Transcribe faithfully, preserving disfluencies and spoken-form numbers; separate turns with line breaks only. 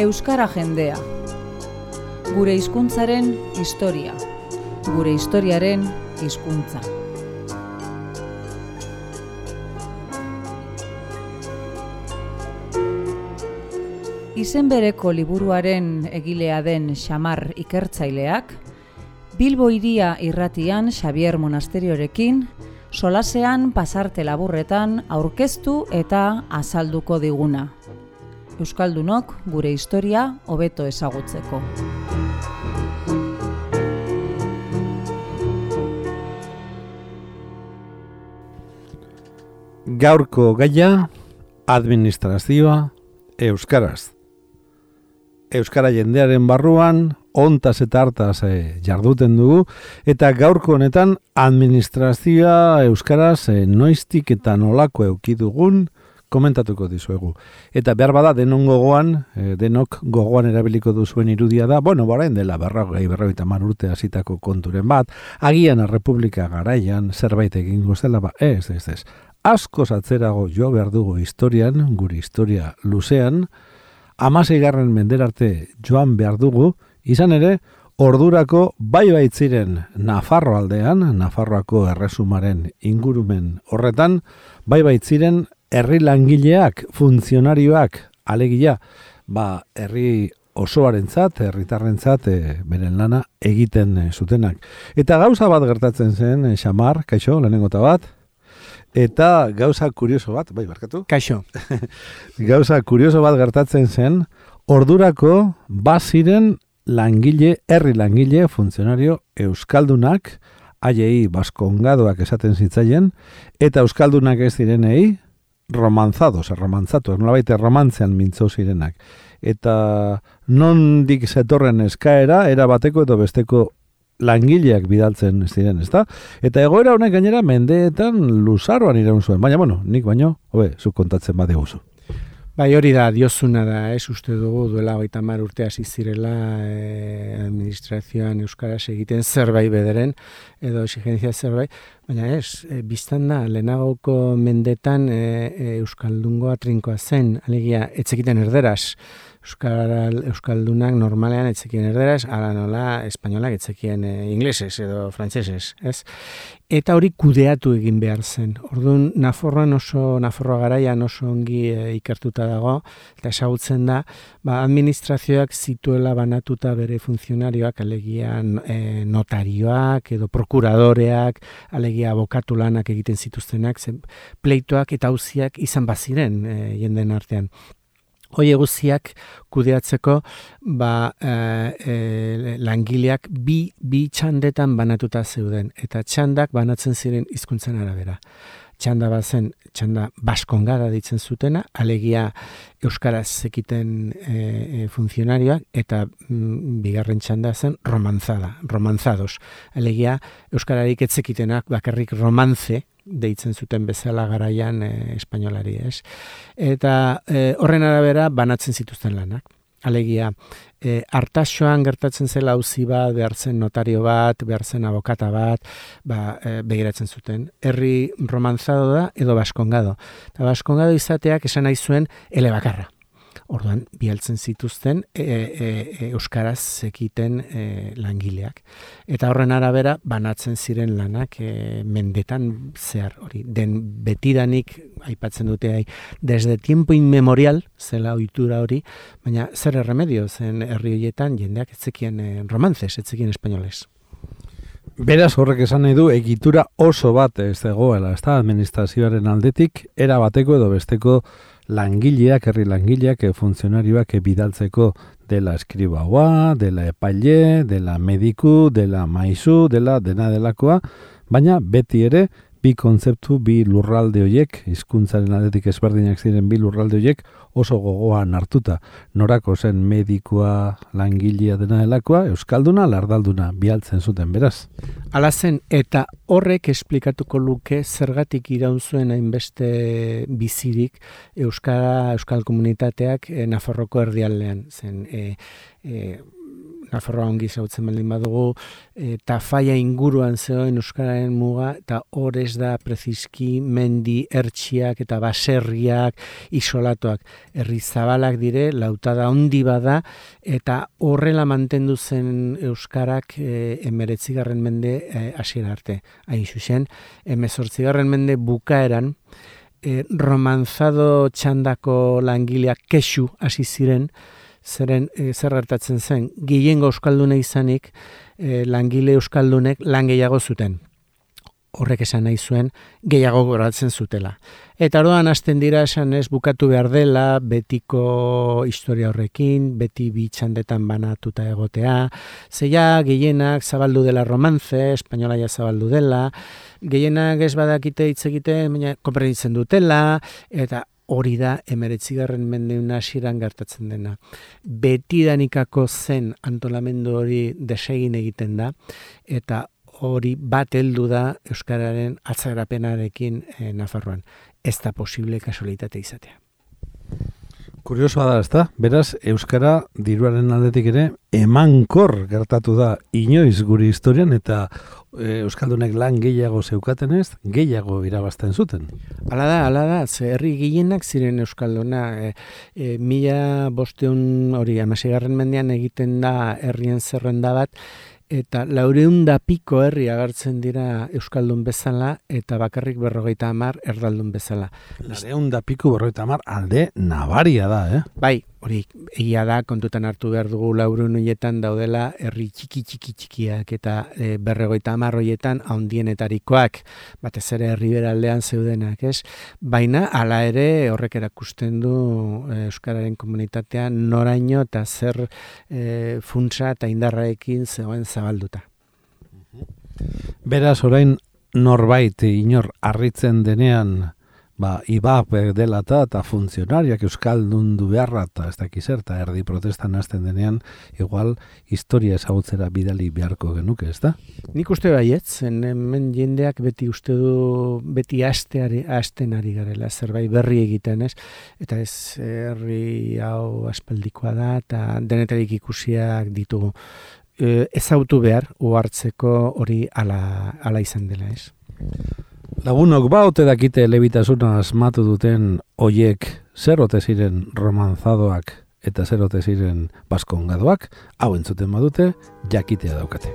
Euskara jendea. Gure hizkuntzaren historia. Gure historiaren hizkuntza. Izen bereko liburuaren egilea den Xamar ikertzaileak, Bilbo hiria irratian Xabier Monasteriorekin, solasean pasarte laburretan aurkeztu eta azalduko diguna. Euskaldunok gure historia hobeto ezagutzeko.
Gaurko gaia, administrazioa euskaraz. Euskara jendearen barruan, ontaz eta hartaz e, jarduten dugu, eta gaurko honetan administrazioa euskaraz e, noiztik eta nolako eduki dugun komentatuko dizuegu. Eta behar bada denon gogoan, e, denok gogoan erabiliko duzuen irudia da, bueno, barain dela berrogei berrogeita hamar urte hasitako konturen bat, agian Errepublika garaian zerbait egingo zela, ba, ez, ez, ez. Askoz atzerago jo behar dugu historian, gure historia luzean, hamaseigarren menderarte joan behar dugu, izan ere, ordurako bai baitziren Nafarro aldean, Nafarroako erresumaren ingurumen horretan, bai baitziren herri langileak, funtzionarioak, alegia, ba, herri osoarentzat, herritarrentzat, e, beren lana egiten e, zutenak. Eta gauza bat gertatzen zen, e, Xamar, kaixo, lehenengota bat, eta gauza kurioso bat, bai, barkatu?
Kaixo.
Gauza kurioso bat gertatzen zen, ordurako baziren langile, herri langile, funtzionario euskaldunak, haiei baskongadoak esaten zitzaien, eta euskaldunak ez direnei, romanzados, romantzatu, nolabait romantzean mintzo zirenak. Eta nondik zetorren eskaera, era bateko edo besteko langileak bidaltzen ziren, ezta? Eta egoera honek gainera mendeetan luzaroan iraun zuen. Baina, bueno, nik baino, hobe, zuk kontatzen bat eguzu.
Bai, hori da, diozuna da, ez uste dugu, duela hogeita hamar urte hasi zirela eh, administrazioan euskaraz egiten zerbait bederen, edo exigentzia zerbait, baina ez, e, biztan da, lehenagoko mendetan e, e, euskaldungoa trinkoa zen, alegia, etzekiten erderaz, Euskal, Euskaldunak normalean etzekien erderaz, ala nola espainolak etzekien e, inglesez edo frantsesez, ez? Eta hori kudeatu egin behar zen. Orduan, Nafarroan oso, Nafarroa garaian oso ongi e, ikertuta dago, eta esagutzen da, ba, administrazioak zituela banatuta bere funtzionarioak, alegia e, notarioak edo prokuradoreak, alegia abokatu lanak egiten zituztenak, zen, pleitoak eta auziak izan baziren e, jenden artean. Hoi guztiak kudeatzeko ba, e, e, langileak bi, bi txandetan banatuta zeuden, eta txandak banatzen ziren hizkuntzen arabera. Txanda bazen, txanda baskongada ditzen zutena, alegia euskaraz zekiten e, e, funtzionarioak, eta mm, bigarren txanda zen romanzada, romanzados. Alegia euskararik etzekitenak bakarrik romantze, deitzen zuten bezala garaian e, espainolari, ez? Eta e, horren arabera banatzen zituzten lanak. Alegia, e, Artaxoan gertatzen zela auzi bat, behar zen notario bat, behar zen abokata bat, ba, e, begiratzen zuten. Herri romanzado da edo baskongado. Eta baskongado izateak esan nahi zuen elebakarra. Orduan, bialtzen zituzten e, e, e, euskaraz zekiten e, langileak. Eta horren arabera, banatzen ziren lanak e, mendetan zehar hori. Den betidanik, aipatzen dute, hai, desde tiempo inmemorial, zela ohitura hori, baina zer erremedio zen herri horietan jendeak etzekien e, romantzez, etzekien espainoles.
Beraz horrek esan nahi du, egitura oso bat ez dagoela, ez da, administrazioaren aldetik, era bateko edo besteko langileak, herri langileak, funtzionarioak bidaltzeko dela eskribaua, dela epaile, dela mediku, dela maizu, dela dena delakoa, baina beti ere bi kontzeptu, bi lurralde horiek, hizkuntzaren aldetik ezberdinak ziren bi lurralde horiek oso gogoan hartuta. Norako zen medikua, langilea dena delakoa, euskalduna, lardalduna bialtzen zuten, beraz.
Hala zen, eta horrek esplikatuko luke zergatik iraun zuen hainbeste bizirik euskara, euskal komunitateak e, Nafarroko erdialdean zen. E, e, Nafarroa ongi zautzen baldin badugu, e, Tafaia inguruan zegoen euskararen muga, eta hor ez da preziski mendi ertxiak eta baserriak isolatuak. Herri zabalak dire, lautada handi bada, eta horrela mantendu zen euskarak e, emeretzigarren mende e, hasiera arte. Hain zuzen, emezortzigarren mende bukaeran, e, romanzado txandako langileak kexu hasi ziren, zeren e, zer gertatzen zen, gehiengo euskalduna izanik, e, langile euskaldunek lan gehiago zuten. Horrek esan nahi zuen, gehiago goratzen zutela. Eta orduan hasten dira esan ez bukatu behar dela, betiko historia horrekin, beti bi txandetan banatuta egotea, zeia gehienak zabaldu dela romance, espainola ja zabaldu dela, gehienak ez badakite hitz egiten, baina konprenitzen dutela, eta hori da emeretzigarren mendeun hasieran gertatzen dena. Betidanikako zen antolamendu hori desegin egiten da, eta hori bat heldu da euskararen atzerapenarekin e, Nafarroan. Ez da posible kasualitate izatea.
Kuriosoa da, ezta? Beraz, euskara diruaren aldetik ere emankor gertatu da inoiz gure historian eta e, euskaldunek lan gehiago zeukatenez, gehiago irabazten zuten.
Hala da, hala da, ze herri gehienak ziren euskalduna, e, e, mila bosteun hori hamaseigarren mendean egiten da herrien zerrenda bat, eta laureun da piko herri agertzen dira euskaldun bezala, eta bakarrik berrogeita hamar erdaldun bezala.
Laureun da piko berrogeita hamar alde nabaria da, eh?
Bai, hori egia da, kontutan hartu behar dugu laureun horietan daudela herri txiki txiki txikiak eta e, berrogeita hamar horietan handienetarikoak, batez ere herriberaldean zeudenak, ez? Baina hala ere horrek erakusten du e, euskararen komunitatean noraino eta zer e, funtsa eta indarraekin zegoen zabalduta.
Beraz, orain norbait inor harritzen denean, ba, I B A P dela eta eta funtzionariak euskaldun du beharra eta ez dakiz eta erdi protestan hasten denean, igual historia ezagutzera bidali beharko genuke, ez da?
Nik uste baietz, hemen jendeak beti uste du, beti asteari, asten ari garela, zerbait berri egiten, ez? Eta ez herri hau aspaldikoa da eta denetarik ikusiak ditugu. E, ezautu behar, uhartzeko hori ala, ala izan dela, ez?
Lagunok ba ote dakite elebitasuna asmatu duten hoiek zer ote ziren romanzadoak eta zer ote ziren baskongadoak, hau entzuten badute, jakitea daukate.